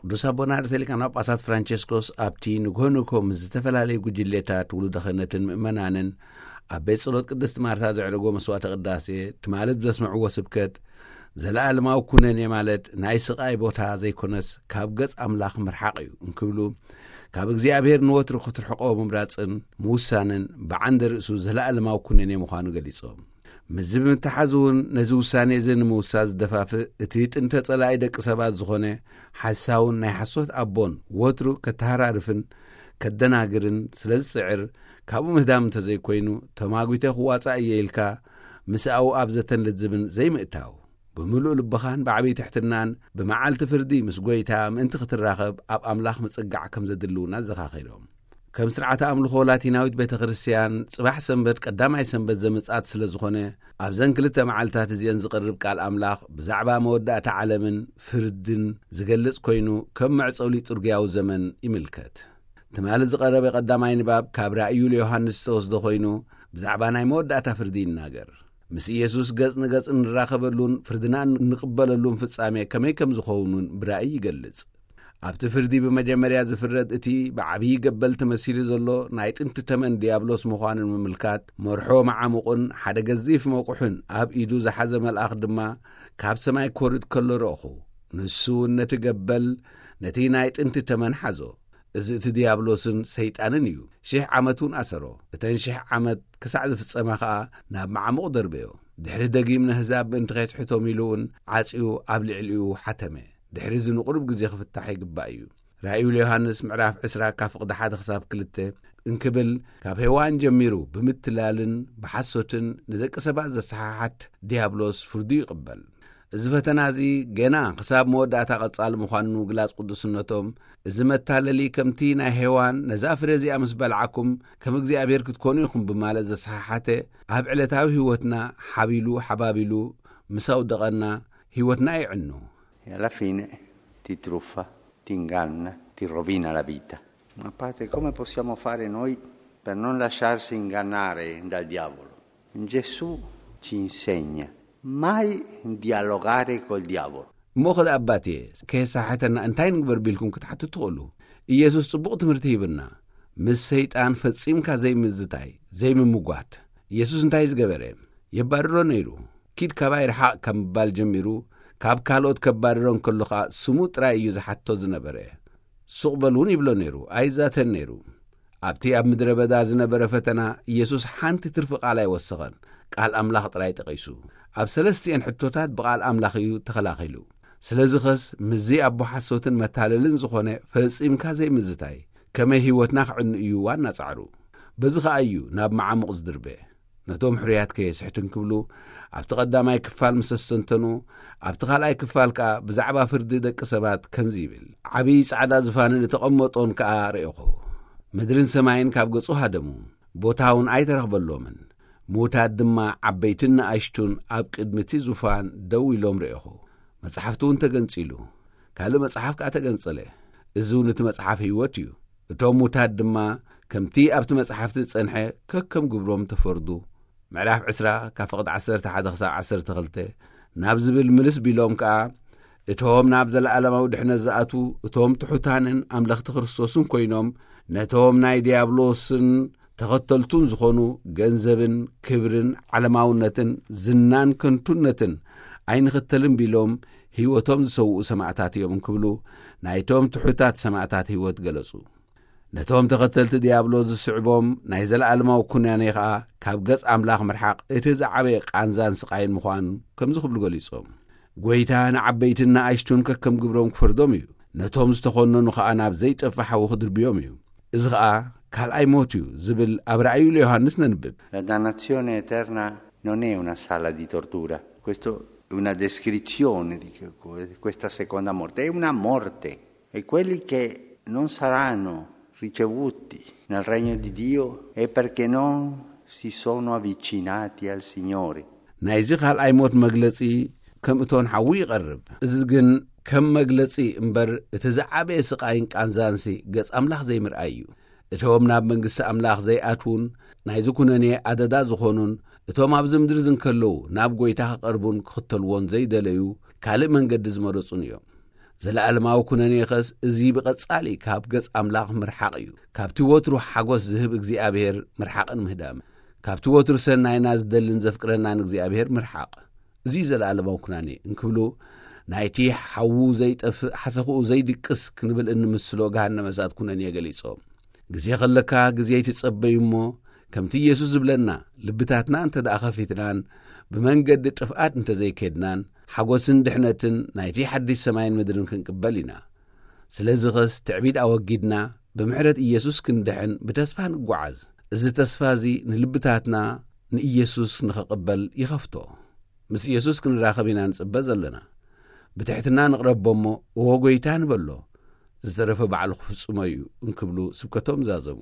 ቅዱስ ኣቦና ርእሰ ሊቃነ ጳጳሳት ፍራንቸስኮስ ኣብቲ ንግሆ ንግሆ ምስ ዝተፈላለዩ ጉጅሌታት ውሉደ ክህነትን ምእመናንን ኣብ ቤት ጸሎት ቅድስቲ ማርታ ዘዕረጎ መስዋዕተ ቅዳሴ፣ ትማሊ ብዘስምዕዎ ስብከት፣ ዘለኣለማዊ ኩነኔ ማለት ናይ ስቓይ ቦታ ዘይኮነስ ካብ ገጽ ኣምላኽ ምርሓቕ እዩ እንክብሉ፣ ካብ እግዚኣብሔር ንወትሩ ክትርሕቆ ምምራጽን ምውሳንን ብዓንደ ርእሱ ዘለኣለማዊ ኩነኔ ምዃኑ ገሊጾም። ምስዚ ብምትሓዝ እውን ነዚ ውሳኔ እዚ ንምውሳድ ዝደፋፍእ እቲ ጥንተ ጸላኢ ደቂ ሰባት ዝኾነ ሓሳውን ናይ ሓሶት ኣቦን ወትሩ ከተሃራርፍን ከደናግርን ስለ ዝጽዕር፣ ካብኡ ምህዳም እንተዘይኮይኑ፣ ተማጒተ ክዋጻእ እየ ኢልካ ምስኣኡ ኣብ ዘተን ልዝብን ዘይምእታው፣ ብምሉእ ልብኻን ብዓብዪ ትሕትናን ብመዓልቲ ፍርዲ ምስ ጐይታ ምእንቲ ክትራኸብ ኣብ ኣምላኽ ምጽጋዕ ከም ዘድሊ እውን ኣዘኻኺሮም። ከም ስርዓተ ኣምልኾ ላቲናዊት ቤተ ክርስቲያን፣ ጽባሕ ሰንበት ቀዳማይ ሰንበት ዘመጽኣት ስለ ዝኾነ፣ ኣብዘን ክልተ መዓልታት እዚአን ዝቐርብ ቃል ኣምላኽ ብዛዕባ መወዳእታ ዓለምን ፍርድን ዝገልጽ ኮይኑ፣ ከም መዕጸዊ ሊጡርግያዊ ዘመን ይምልከት። ትማሊ ዝቐረበ ቀዳማይ ንባብ ካብ ራእዩ ለዮሃንስ ዝተወስደ ኮይኑ፣ ብዛዕባ ናይ መወዳእታ ፍርዲ ይናገር። ምስ ኢየሱስ ገጽ ንገጽ እንራኸበሉን ፍርድና እንቕበለሉን ፍጻሜ ከመይ ከም ዝኸውን እውን ብራእይ ይገልጽ። ኣብቲ ፍርዲ ብመጀመርያ ዝፍረድ እቲ ብዓብዪ ገበል ተመሲሉ ዘሎ ናይ ጥንቲ ተመን ዲያብሎስ ምዃኑ ንምምልካት፣ መርሖ መዓሙቕን ሓደ ገዚፍ መቑሕን ኣብ ኢዱ ዝሓዘ መልኣኽ ድማ ካብ ሰማይ ክወርድ ከሎ ረእኹ። ንሱ እውን ነቲ ገበል፣ ነቲ ናይ ጥንቲ ተመን ሓዞ። እዚ እቲ ዲያብሎስን ሰይጣንን እዩ። ሽሕ ዓመት እውን ኣሰሮ። እተን ሽሕ ዓመት ክሳዕ ዝፍጸማ ኸኣ ናብ መዓሙቕ ደርበዮ። ድሕሪ ደጊም ነህዛብ ምእንቲ ኼስሕቶም ኢሉ እውን ዓጽዩ ኣብ ልዕሊኡ ሓተመ። ድሕሪ እዚ ንቑሩብ ግዜ ክፍታሕ ይግባእ እዩ። ራእዩ ለዮሃንስ ምዕራፍ ዕስራ ካብ ፍቕዲ ሓደ ክሳብ ክልተ እንክብል፣ ካብ ሄዋን ጀሚሩ ብምትላልን ብሓሶትን ንደቂ ሰባት ዘሰሓሓት ዲያብሎስ ፍርዱ ይቕበል። እዚ ፈተና እዚ ገና ክሳብ መወዳእታ ቀጻሊ ምዃኑ ንምግላጽ ቅዱስነቶም፣ እዚ መታለሊ ከምቲ ናይ ሄዋን ነዛ ፍረ እዚኣ ምስ በልዓኩም ከም እግዚኣብሔር ክትኮኑ ኢኹም ብማለት ዘሰሓሓተ፣ ኣብ ዕለታዊ ህይወትና ሓቢሉ ሓባቢሉ ምስ ኣውደቐና ህይወትና የዕኑ። E alla fine ti truffa, ti inganna, ti rovina la vita. Ma padre, come possiamo fare noi per non lasciarsi ingannare dal diavolo? Gesù ci insegna mai dialogare col diavolo. እሞ ኸዚ ኣባትየ፣ ከየሳሕተና እንታይ ንግበር ቢልኩም ክትሓቱ ትኽእሉ። ኢየሱስ ጽቡቕ ትምህርቲ ሂብና። ምስ ሰይጣን ፈጺምካ ዘይምዝታይ፣ ዘይምምጓት። ኢየሱስ እንታይ ዝገበረ? የባርሮ ነይሩ። ኪድ ካባይ ርሓቕ ካብ ምባል ጀሚሩ፣ ካብ ካልኦት ከባርሮ እንከሎ ኸኣ ስሙ ጥራይ እዩ ዝሓቶ ዝነበረ። ሱቕ በል እውን ይብሎ ነይሩ፣ ኣይዛተን ነይሩ። ኣብቲ ኣብ ምድረ በዳ ዝነበረ ፈተና፣ ኢየሱስ ሓንቲ ትርፊ ቃል ኣይወሰኸን። ቃል ኣምላኽ ጥራይ ጠቒሱ። ኣብ ሰለስቲኤን ሕቶታት ብቓል ኣምላኽ እዩ ተኸላኺሉ። ስለዚ ኸስ ምስዚ ኣቦ ሓሶትን መታለልን ዝኾነ ፈጺምካ ዘይምዝታይ፣ ከመይ ህይወትና ክዕኑ እዩ ዋና ጻዕሩ። በዚ ኸኣ እዩ ናብ መዓሙቕ ዝድርበ። ነቶም ሕሩያት ከየስሕትን ክብሉ፣ ኣብቲ ቀዳማይ ክፋል ምስ ኣስተንተኑ፣ ኣብቲ ካልኣይ ክፋል ከኣ ብዛዕባ ፍርዲ ደቂ ሰባት ከምዚ ይብል። ዓብዪ ጻዕዳ ዝፋንን እተቐመጦን ከኣ ረኤኹ። ምድርን ሰማይን ካብ ገጹ ሃደሙ። ቦታ እውን ኣይተረኽበሎምን። ምዉታት ድማ ዓበይትን ንኣሽቱን ኣብ ቅድሚ እቲ ዙፋን ደው ኢሎም ረኤኹ። መጽሓፍቲ እውን ተገንጺሉ። ካልእ መጽሓፍ ከኣ ተገንጸለ። እዚ እውን እቲ መጽሓፍ ህይወት እዩ። እቶም ምዉታት ድማ ከምቲ ኣብቲ መጽሓፍቲ ዝጸንሐ ከከም ግብሮም ተፈርዱ። ምዕራፍ ዕስራ ካብ ፍቕዲ ዓሰርተ ሓደ ክሳብ ዓሰርተ ክልተ ናብ ዝብል ምልስ ቢሎም ከኣ፣ እቶም ናብ ዘለኣለማዊ ድሕነት ዝኣትዉ፣ እቶም ትሑታንን ኣምለኽቲ ክርስቶስን ኮይኖም፣ ነቶም ናይ ዲያብሎስን ተኸተልቱን ዝኾኑ፣ ገንዘብን ክብርን ዓለማውነትን ዝናን ከንቱነትን ኣይንኽተልን ቢሎም ህይወቶም ዝሰውኡ ሰማእታት እዮም እንክብሉ፣ ናይቶም ትሑታት ሰማእታት ህይወት ገለጹ። ነቶም ተኸተልቲ ዲያብሎስ ዝስዕቦም ናይ ዘለኣለማዊ ኩናኔ ኸኣ ካብ ገጽ ኣምላኽ ምርሓቕ እቲ ዝዓበየ ቃንዛን ስቓይን ምዃኑ ከምዚ ክብሉ ገሊጾም። ጐይታ ንዓበይትን ንኣሽቱን ከከም ግብሮም ክፈርዶም እዩ። ነቶም ዝተኾነኑ ኸኣ ናብ ዘይጠፍእ ሓዊ ክድርብዮም እዩ። እዚ ኸኣ ካልኣይ ሞት እዩ ዝብል ኣብ ራእዩ ለዮሃንስ ነንብብ። La dannazione eterna non è una sala di tortura, questa è una descrizione di que- questa seconda morte, è una morte. E quelli che non saranno ricevuti nel regno di Dio è perché non si sono avvicinati al Signore. ናይዚ ካልኣይ ሞት መግለጺ ከም እቶን ሓዊ ይቐርብ። እዚ ግን ከም መግለጺ እምበር እቲ ዝዓበየ ስቓይን ቃንዛንሲ ገጽ ኣምላኽ ዘይምርኣይ እዩ። እቶም ናብ መንግስቲ ኣምላኽ ዘይኣትዉን ናይዚ ኩነኔ ኣደዳ ዝኾኑን እቶም ኣብዚ ምድሪ ዝንከለዉ ናብ ጐይታ ክቐርቡን ክኽተልዎን ዘይደለዩ ካልእ መንገዲ ዝመረጹን እዮም። ዘለኣለማዊ ኩነኔኸስ እዚ ብቐጻሊ ካብ ገጽ ኣምላኽ ምርሓቕ እዩ። ካብቲ ወትሩ ሓጎስ ዝህብ እግዚኣብሔር ምርሓቕን ምህዳም፣ ካብቲ ወትሩ ሰናይና ዝደልን ዘፍቅረናን እግዚኣብሔር ምርሓቕ፣ እዚ እዩ ዘለኣለማዊ ኩናኔ እንክብሉ፣ ናይቲ ሓዉ ዘይጠፍእ ሓሰኽኡ ዘይድቅስ ክንብል እንምስሎ ገሃነመ እሳት ኩነኔ ገሊጾም። ግዜ ከለካ ግዜ ይትጸበዩ እሞ፣ ከምቲ ኢየሱስ ዝብለና፣ ልብታትና እንተ ደኣ ኸፊትናን ብመንገዲ ጥፍኣት እንተ ዘይከድናን፣ ሓጎስን ድሕነትን ናይቲ ሓድሽ ሰማይን ምድርን ክንቅበል ኢና። ስለዚ ኸስ ትዕቢት ኣወጊድና፣ ብምሕረት ኢየሱስ ክንድሕን ብተስፋ ንጓዓዝ። እዚ ተስፋ እዚ ንልብታትና ንኢየሱስ ንኸቕበል ይኸፍቶ። ምስ ኢየሱስ ክንራኸብ ኢና ንጽበ ዘለና። ብትሕትና ንቕረቦ እሞ፣ እወ ጐይታ ንበሎ፣ ዝተረፈ ባዕሉ ክፍጽሞ እዩ እንክብሉ ስብከቶም ዛዘሙ።